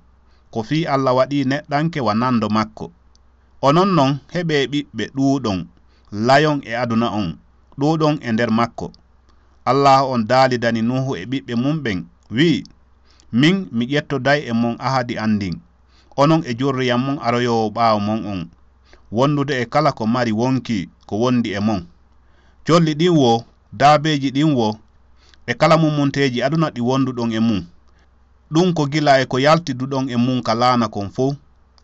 Ko fii Alla waɗii neɗɗanke wa nando makko. Onon non, heɓee ɓiɓɓe, ɗuuɗon, layon e aduna on. ɗuuɗon e nder makko. Allaahu on daalidani Nuuhu e ɓiɓɓe mum ɓen, wi'i, Min mi ƴettoday e mon ahadi an ndin, onon e jurriya mon aroyoowo ɓaawo mon on, wondude e kala ko mari wonkii ko wondi e mon. Colli ɗin woo, daabeeji ɗin woo, e kala mummunteeji aduna ɗi wonduɗon e mun. Ɗun ko gila e ko yaltiduɗon e mun ka laana kon fow,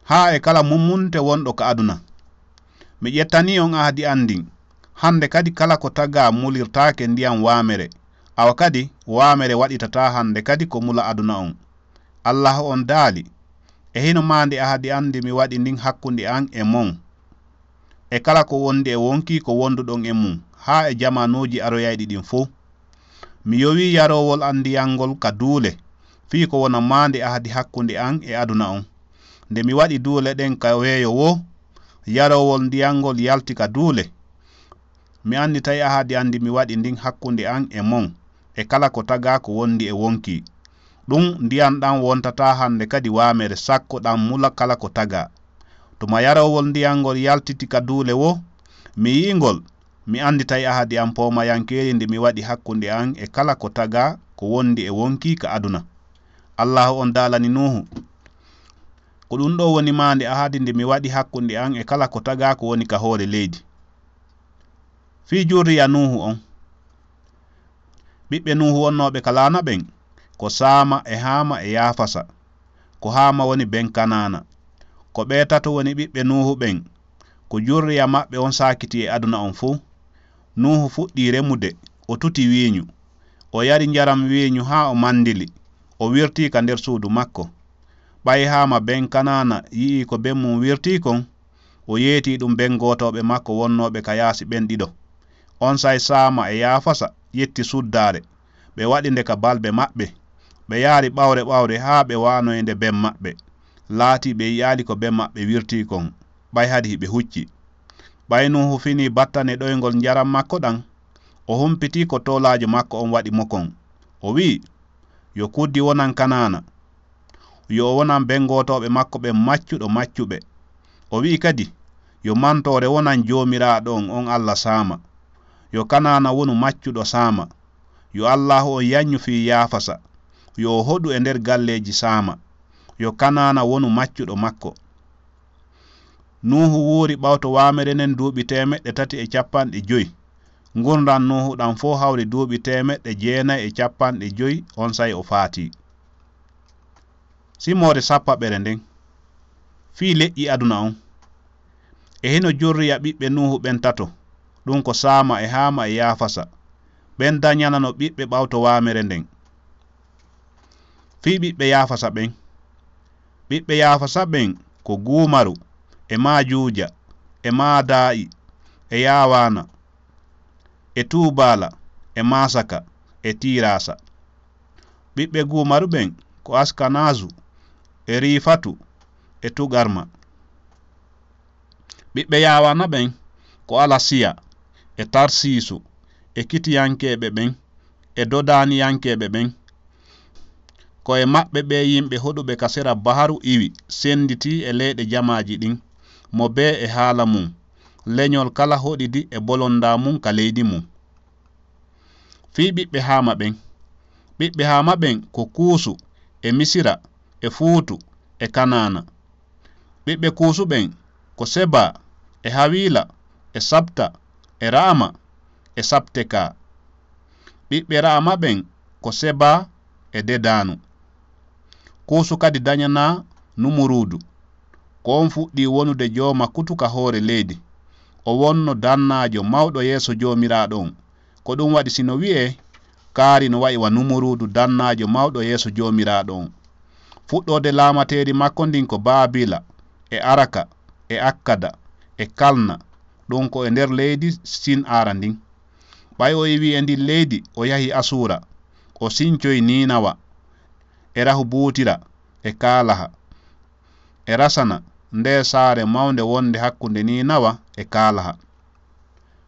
haa e kala mummunte wonɗo ka aduna. Mi ƴettanii on ahadi an ndin. Hande kadi kala ko tagaa mulirtaake ndiyan waamere, awa kadi waamere waɗitataa hande kadi ko mula aduna on. Allaahu on daali, E hino maande ahadi an ndi mi waɗi ndin hakkunde an e mon, e kala ko wondi e wonkii ko wonduɗon e mun, haa e jamaanuuji aroyayɗi ɗin fow. Mi yowii yaroowol an ndiyan ngol ka duule, fii ko wona maande ahadi hakkunde an e aduna on. Nde mi waɗi duule ɗen ka weeyo woo, yaroowol ndiyan ngol yalti ka duule. Mi annditay ahadi an ndi mi waɗi ndin hakkunde an e mon, e kala ko tagaa ko wondi e wonkii. Ɗun ndiyan ɗan wontataa hande kadi waamere sakko ɗan mula kala ko tagaa. Tuma yaroowol ndiyan ngol yaltiti ka duule woo, mi yi'i ngol, mi annditay ahadi an poomayankeeri ndi mi waɗi hakkunde an e kala ko tagaa ko wondi e wonkii ka aduna. Allaahu on daalani Nuuhu, Ko ɗun ɗoo woni maande ahadi ndi mi waɗi hakkunde an e kala ko tagaa ko woni ka hoore leydi. Fii jurriya Nuuhu on. Ɓiɓɓe Nuuhu wonnooɓe ka laana ɓen, ko Saama e Haama e Yaafasa. Ko Haama woni ben Kanaana. Ko ɓee tato woni ɓiɓɓe Nuuhu ɓen. Ko jurriya maɓɓe on saakiti e aduna on fow. Nuuhu fuɗɗii remude, o tuti wiiñu. O yari njaram wiiñu haa o mandili, o wirtii ka nder suudu makko. Ɓay Haama ben Kanaana yi'ii ko ben mun wirtii kon, o yeetii ɗun ben gootooɓe makko wonnooɓe ka yaasi ɓen ɗiɗo. Onsay Saama e Yaafasa ƴetti suddaare, ɓe waɗi nde ka balbe maɓɓe. Ɓe yaari ɓawre ɓawre haa ɓe waanoyi nde ben maɓɓe. Laatii ɓe yi'aali ko ben maɓɓe wirtii kon, ɓay hadi hiɓe hucci. Ɓay Nuuhu finii battane ɗoyngol njaram makko ɗan, o humpitii ko toolaajo makko on waɗi mo kon. O wi'i, Yo kuddi wonan Kanaana. Yo o wonan ben gootooɓe makko ɓen maccuɗo maccuɓe. O wi'i kadi, Yo mantoore wonan Joomiraaɗo on, on Alla Saama. Yo Kanaana wonu maccuɗo Saama. Yo Allaahu on yaññu fii Yaafasa. Yo o hoɗu e nder galleeji Saama. Yo Kanaana wonu maccuɗo makko. Nuuhu wuuri ɓawto waamere nden duuɓi teemeɗɗe tati e cappanɗe joy. Ngurndan Nuuhu ɗan fow hawri duuɓi teemeɗɗe jeenay e cappanɗe joy, onsay o faatii. Simoore sappaɓere nden. Fii leƴƴi aduna on. E hino jurriya ɓiɓɓe Nuuhu ɓen tato, ɗun ko Saama e Haama e Yaafasa. Ɓen dañanano ɓiɓɓe ɓawto waamere nden. Fii ɓiɓɓe Yaafasa ɓen. Ɓiɓɓe Yaafasa ɓen ko Guumaru, e Maajuuja, e Maadaa'i, e Yaawaana, e Tuubaala, e Maasaka, e Tiiraasa. Ɓiɓɓe Guumaru ɓen ko Askanaazu, e Riifatu, e Tugarma. Ɓiɓɓe Yaawaana ɓen ko Alasiya, e Tarsiisu, e Kitiyankeeɓe ɓen, e Dodaaniyankeeɓe ɓen. Ko e maɓɓe ɓee yimɓe hoɗuɓe ka sera baharu iwi, senditii e leyɗe jamaaji ɗin, mo bee e haala mun, leñol kala hoɗidi e bolondaa mun ka leydi mun. Fii ɓiɓɓe Haama ɓen. Ɓiɓɓe Haama ɓen ko Kuusu, e Misira, e Fuutu, e Kanaana. Ɓiɓɓe Kuusu ɓen ko Seba, e Hawiila, e Sabta, e Raama, e Sabteka. Ɓiɓɓe Raama ɓen ko Seba e Dedaanu. Kuusu kadi dañanaa Numuruudu. Ko on fuɗɗii wonude jooma kutu ka hoore leydi. O wonno dannaajo mawɗo yeeso Joomiraaɗo on. Ko ɗun waɗi si no wi'ee, kaari no wa'i wa Numuruudu dannaajo mawɗo yeeso Joomiraaɗo on. Fuɗɗoode laamateeri makko ndin ko Baabila, e Araka, e Akkada, e Kalna, ɗun ko e nder leydi Sin aara ndin. Ɓay o iwii e ndin leydi, o yahi Asuura, o sincoyi Niinawa, e Rahubuutira, e Kaalaha, e Rasana, ndee saare mawnde wonnde hakkunde Niinawa e Kaalaha.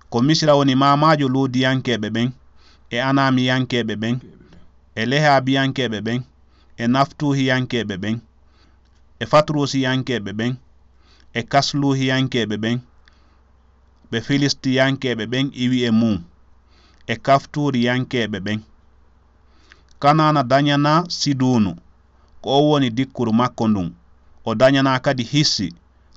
Ko Misira woni maamaajo Luudiyankeeɓe ɓen, e Anaamiyankeeɓe ɓen, e Lehaabiyankeeɓe ɓen, e Naftuuhiyankeeɓe ɓen, e Fatruusiyankeeɓe ɓen, e Kasluuhiyankeeɓe ɓen, ɓe Filistiyankeeɓe ɓen iwi e mun. e Kaftuuriyankeeɓe ɓen. Kanaana dañanaa Siduunu, ko on woni dikkuru makko ndun. O dañanaa kadi Hissi,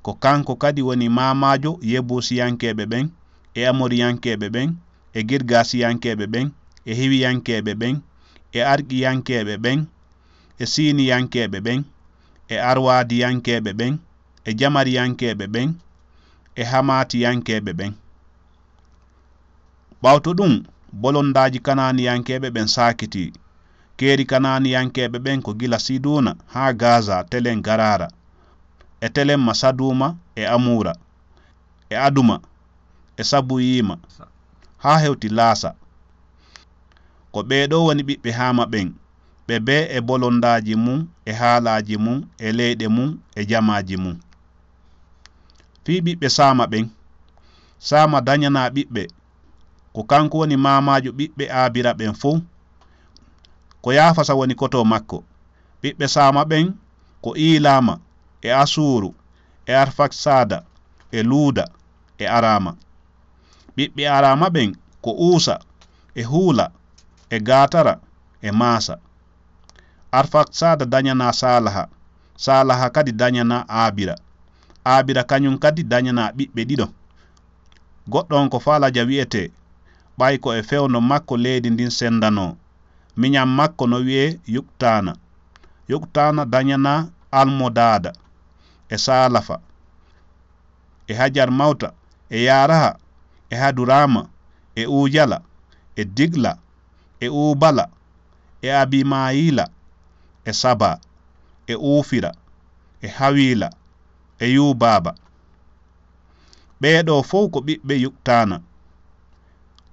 ko kanko kadi woni maamaajo Yebuusiyankeeɓe ɓen, e Amoriyankeeɓe ɓen, e Girgaasiyankeeɓe ɓen, e Hiwiyankeeɓe ɓen, e Arkiyankeeɓe ɓen, e Siiniyankeeɓe ɓen, e Arwaadiyankeeɓe ɓen, e Jamariyankeeɓe ɓen, e Hamaatiyankeeɓe ɓen. Ɓawto ɗun, bolondaaji Kanaaniyankeeɓe ɓen saakitii. Keeri Kanaaniyankeeɓe ɓen ko gila Siduuna haa Gaaza, telen Garaara, e telemma Saduuma, e Amuura, e Aduma, e Sabuyiima, haa hewti Laasa. Ko ɓee ɗoo woni ɓiɓɓe Haama ɓen, ɓe bee e bolondaaji mun, e haalaaji mun, e leyɗe mun, e jamaaji mun. Fii ɓiɓɓe Saama ɓen, Saama dañanaa ɓiɓɓe, ko kanko woni maamaajo ɓiɓɓe Aabira ɓen fow. Ko Yaafasa woni koto makko. Ɓiɓɓe Saama ɓen ko Iilaama, e Asuuru, e Arfaksaada, e Luuda, e Araama. Ɓiɓɓe Araama ɓen ko Uusa, e Huula, e Gaatara, e Maasa. Arfaksaada dañanaa Saalaha, Saalaha kadi dañanaa Aabira. Aabira kañun kadi dañanaa ɓiɓɓe ɗiɗo. Goɗɗo on ko Faalaja wi'etee, ɓay ko e fewndo makko leydi ndin sendanoo. Miñan makko no wi'ee Yuktaana. Yuktaana dañanaa Almodaada, e Saalafa, e Hajar Mawta, e Yaaraha, e Haduraama, e Uujala, e Digla, e Uubala, e Abimayila, e Saba, e Uufira, e Hawiila, e Yubaaba. Ɓee ɗoo fow ko ɓiɓɓe Yuktaana.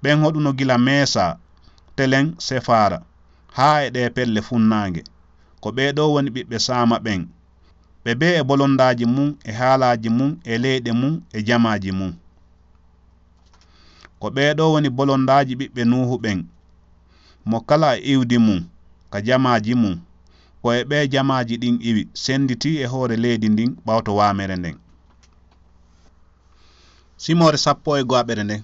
Ɓen hoɗuno gila Meesa, telen Sefaara, haa e ɗee pelle funnaange. Ko ɓee ɗoo woni ɓiɓɓe Saama ɓen. Ɓe bee e bolondaaji mun, e haalaaji mun, e leyɗe mun, e jamaaji mun. Ko ɓee ɗoo woni bolondaaji ɓiɓɓe Nuuhu ɓen, mo kala e iwdi mun, ka jamaaji mun. Ko e ɓee jamaaji ɗin iwi, senditii e hoore leydi ndin ɓawto waamere nden. Simoore sappo e go'aɓere nden,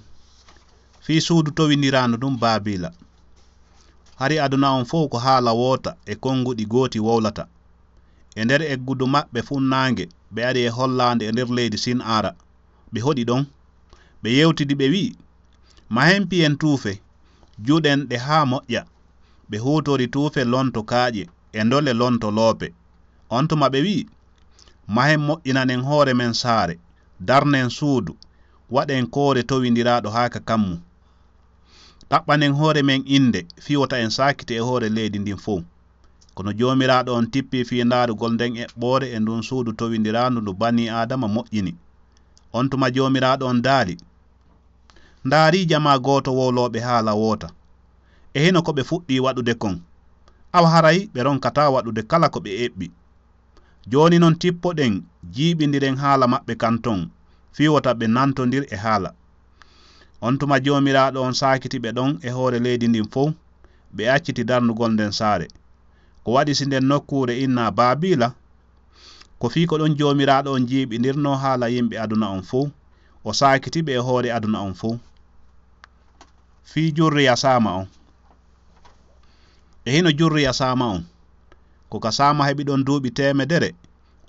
fii suudu towindiraandu ndun Baabiila. Hari aduna on fow ko haala woota e konguɗi gooti wowlata. E nder eggudu maɓɓe funnaange, ɓe ari e hollaande e nder leydi Sin'aara. Ɓe hoɗi ɗon. Ɓe yewtidi, ɓe wi'i, "Mahen piyen tuufe, juɗen ɗe haa moƴƴa." Ɓe huutori tuufe lonto kaaƴe, e ndole lonto loope. On tuma ɓe wi'i, "Mahen moƴƴinanen hoore men saare, darnen suudu, waɗen koore towindiraaɗo haa ka kammu. Ɗaɓɓanen hoore men innde, fii wota en saakite e hoore leydi ndin fow." Kono Joomiraaɗo on tippii fii ndaarugol nden eɓɓoore e ndun suudu towindiraandu ndu Banii Aadama moƴƴini. On tuma Joomiraaɗo on daali, "Ndaarii jamaa gooto wowlooɓe haala woota. E hino ko ɓe fuɗɗii waɗude kon. Awa haray ɓe ronkataa waɗude kala ko ɓe eɓɓi. Jooni non tippoɗen, jiiɓindiren haala maɓɓe kan ton, fii wota ɓe nantondir e haala." On tuma Joomiraaɗo on saakiti ɓe ɗon e hoore leydi ndin fow, ɓe acciti darnugol nden saare. Ko waɗi si nden nokkuure innaa Baabiila? Ko fii ko ɗon Joomiraaɗo on jiiɓindirnoo haala yimɓe aduna on fow, o saakiti ɓe e hoore aduna on fow. Fii jurriya Saama on. E hino jurriya Saama on. Ko ka Saama heɓi ɗon duuɓi teemedere,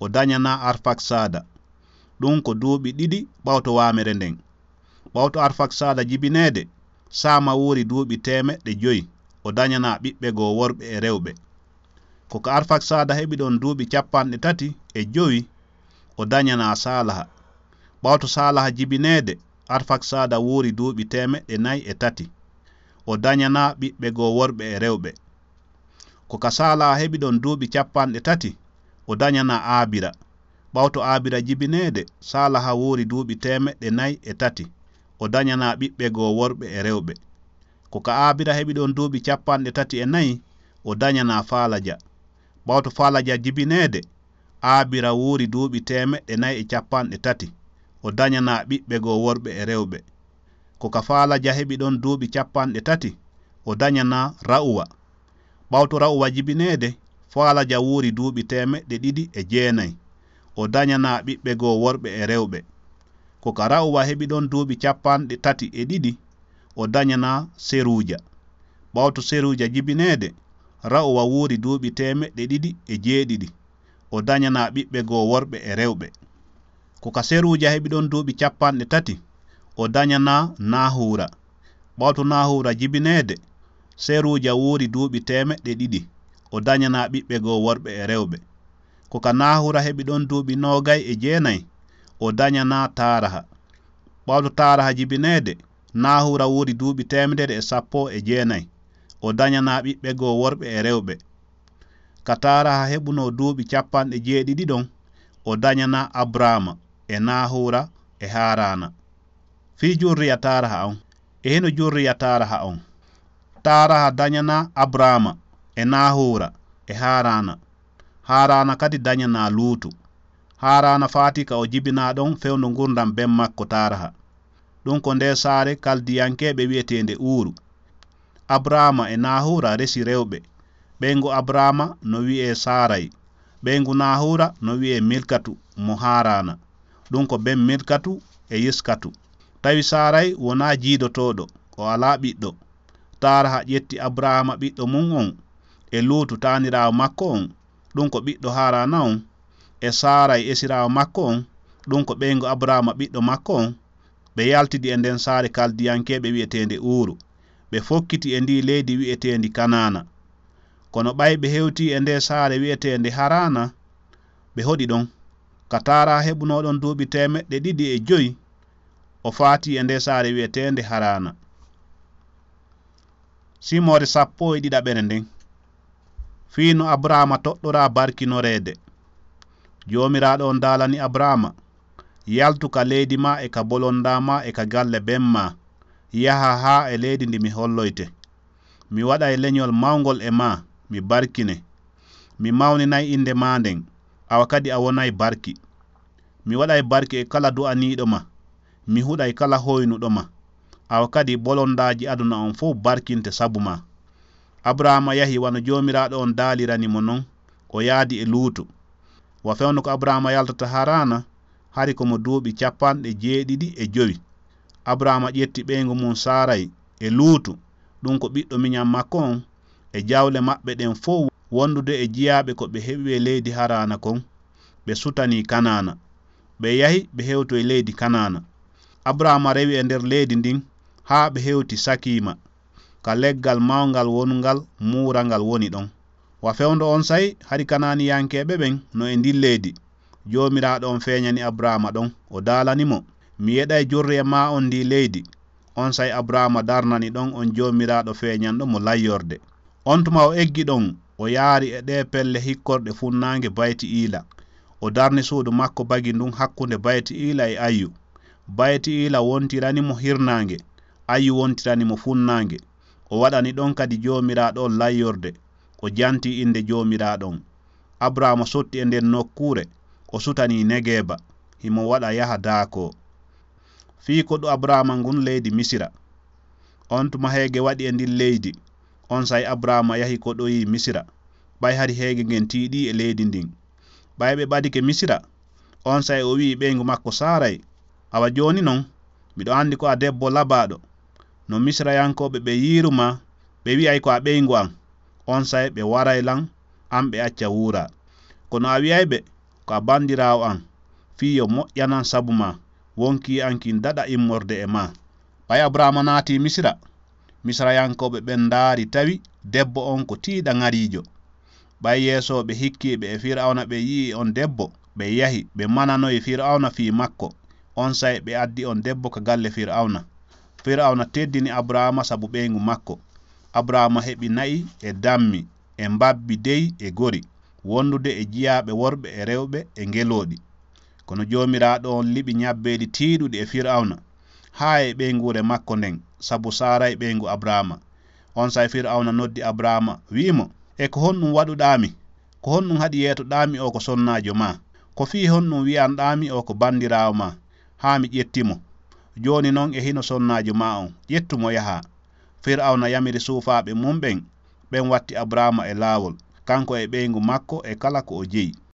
o dañanaa Arfaksaada. Ɗun ko duuɓi ɗiɗi ɓawto waamere nden. Ɓawto Arfaksaada jibineede, Saama wuuri duuɓi teemeɗɗe jowi, o dañanaa ɓiɓɓe goo worɓe e rewɓe. Ko ka Arfaksaada heɓi ɗon duuɓi cappanɗe tati e jowi, o dañanaa Saalaha. Ɓawto Saalaha jibineede, Arfaksaada wuuri duuɓi teemeɗɗe nayi e tati, o dañanaa ɓiɓɓe goo worɓe e rewɓe. Ko ka Saalaha heɓi ɗon duuɓi cappanɗe tati, o dañanaa Aabira. Ɓawto Aabira jibineede, Saalaha wuuri duuɓi teemeɗɗe nayi e tati, o dañanaa ɓiɓɓe goo worɓe e rewɓe. Ko ka Aabira heɓi ɗon duuɓi cappanɗe tati e nayi, o dañanaa Faalaja. Ɓawto Faalaja jibineede, Aabira wuuri duuɓi teemeɗɗe nayi e cappanɗe tati, o dañanaa ɓiɓɓe goo worɓe e rewɓe. Ko ka Faalaja heɓi ɗon duuɓi cappanɗe tati, o dañanaa Ra'uwa. Ɓawto Ra'uwa jibineede, Faalaja wuuri duuɓi teemeɗɗe ɗiɗi e jeenayi, o dañanaa ɓiɓɓe goo worɓe e rewɓe. Ko ka Ra'uwa heɓi ɗon duuɓi cappanɗe tati e ɗiɗi, o dañanaa Seruuja. Ɓawto Seruuja jibineede, Ra'uwa wuuri duuɓi teemeɗɗe ɗiɗi e jeeɗiɗi, o dañanaa ɓiɓɓe goo worɓe e rewɓe. Ko ka Seruuja heɓi ɗon duuɓi capanɗe tati, o dañanaa Naahuura. Ɓawto Naahuura jibineede, Seruuja wuuri duuɓi teemeɗɗe ɗiɗi, o dañanaa ɓiɓɓe goo worɓe e rewɓe. Ko ka Naahuura heɓi ɗon duuɓi noogay e jeenay, o dañanaa Taaraha. Ɓawto Taaraha jibineede, Naahuura wuuri duuɓi teemedere e sappo e jeenay, o dañanaa ɓiɓɓe goo worɓe e rewɓe. Ka Taaraha heɓunoo duuɓi capanɗe jeeɗiɗi ɗon, o dañanaa Abraama e Naahuura e Haaraana. Fii jurriya Taaraha on, e hino jurriya Taaraha on. Taaraha dañanaa Abraama e Naahuura e Haaraana. Haaraana kadi dañanaa Luutu. Haaraana faati ka o jibinaa ɗon fewndo ngurndan ben makko Taaraha. Ɗun ko ndee saare Kaldiyankeeɓe wi'eteende Uuru. Abraama e Naahuura resi rewɓe. Ɓeyngu Abraama no wi'ee Saaray. Ɓeyngu Naahuura no wi'ee Milkatu mo Haaraana. Ɗun ko ben Milkatu e Yiskatu. Tawi Saaray wonaa jiidotooɗo, o alaa ɓiɗɗo. Taaraha ƴetti Abraama ɓiɗɗo mun on, e Luutu taaniraawo makko on, ɗun ko ɓiɗɗo Haaraana on, e Saaray esiraawo makko on, ɗun ko ɓeyngu Abraama ɓiɗɗo makko on, ɓe yaltidi e nden saare Kaldiyankeeɓe wi'eteende Uuru. Ɓe fokkiti e ndii leydi wi'eteendi Kanaana. Kono ɓay ɓe hewtii e ndee saare wi'eteende Haraana, ɓe hoɗi ɗon. Ka Taaraha heɓunoo ɗon duuɓi teemeɗɗe ɗiɗi e jowi, o faatii e ndee saare wi'eteende Haraana. Simoore sappo e ɗiɗaɓere nden. Fii no Abraama toɗɗoraa barkinoreede. Joomiraaɗo on daalani Abraama, "Yaltu ka leydi maa e ka bolondaa maa e ka galle ben maa, yahaa haa e leydi ndi mi holloyte. Mi waɗay leñol mawngol e maa, mi barkine. Mi mawninay innde maa nden, awa kadi a wonay barki. Mi waɗay barki e kala du'aniiɗo ma, mi huɗay kala hoynuɗo ma. Awa kadi bolondaaji aduna on fow barkinte sabu maa." Abraama yahi wano Joomiraaɗo on daalirani mo non, o yaadi e Luutu. Wa fewndo ko Abraama yaltata Haraana, hari ko mo duuɓi capanɗe jeeɗiɗi e jowi. Abraama ƴetti ɓeyngu mum Saaray e Luutu, ɗun ko ɓiɗɗo miñan makko on, e jawle maɓɓe ɗen fow wondude e jiyaaɓe ko ɓe heɓi e leydi Haraana kon, ɓe sutanii Kanaana. Ɓe yahi, ɓe hewtoyi leydi Kanaana. Abraama rewi e nder leydi ndin haa ɓe hewti Sakiima, ka leggal mawngal wonungal muurangal woni ɗon. Wa fewndo onsay, hari Kanaaniyankeeɓe ɓen no e ndin leydi. Joomiraaɗo on feeñani Abraama ɗon, o daalani mo, "Mi yeɗay jurriya maa on ndii leydi." Onsay Abraama darnani ɗon on Joomiraaɗo feeñanɗo mo layyorde. On tuma o eggi ɗon, o yaari e ɗee pelle hikkorɗe funnaange Bayti Iila. O darni suudu makko bagi ndun hakkunde Bayti Iila e Ayyu. Bayti Iila wontirani mo hirnaange, Ayyu wontirani mo funnaange. O waɗani ɗon kadi Joomiraaɗo on layyorde, o janti innde Joomiraaɗo on. Abraama sotti e nden nokkuure, o sutanii Negeeba, himo waɗa yaha daakoo. Fii koɗu Abraama ngun leydi Misira. On tuma heege waɗi e ndin leydi, onsay Abraama yahi koɗoyii Misira, ɓay hari heege ngen tiiɗii e leydi ndin. Ɓay ɓe ɓadike Misira, onsay o wi'i ɓeyngu makko Saaray, "Awa jooni non, miɗo andi ko a debbo labaaɗo. No Misirayankooɓe ɓe yiiru maa, ɓe wi'ay ko a ɓeyngu an, onsay ɓe waray lan, an ɓe acca wuuraa. Kono a wi'ay ɓe ko a bandiraawo an, fii yo moƴƴanan sabu maa, wonkii an kin daɗa immorde e maa." Ɓay Abraama naatii Misira, Misirayankooɓe ɓen ndaari tawi debbo on ko tiiɗaŋariijo. Ɓay yeesooɓe hikkiiɓe e Fir'awna ɓe yi'i on debbo, ɓe yahi, ɓe mananoyi Fir'awna fii makko. Onsay ɓe addi on debbo ka galle Fir'awna. Fir'awna teddini Abraama sabu ɓeyngu makko. Abraama heɓi na'i e dammi e mbabbi dey e gori, wondude e jiyaaɓe worɓe e rewɓe e ngelooɗi. Kono Joomiraaɗo on liɓi ñabbeeli tiiɗuɗi e Fir'awna, haa e ɓeynguure makko nden, sabu Saaray ɓeyngu Abraama. Onsay Fir'awna noddi Abraama, wi'i mo, "E ko honɗun waɗuɗaa mi? Ko honɗun haɗi yeetoɗaa mi oo ko sonnaajo maa? Ko fii honɗun wi'anɗaa mi oo ko bandiraawo maa, haa mi ƴetti mo? Jooni non e hino sonnaajo maa on, ƴettu mo yahaa." Fir'awna yamiri suufaaɓe mun ɓen, ɓen watti Abraama e laawol, kanko e ɓeyngu makko e kala ko o jeyi.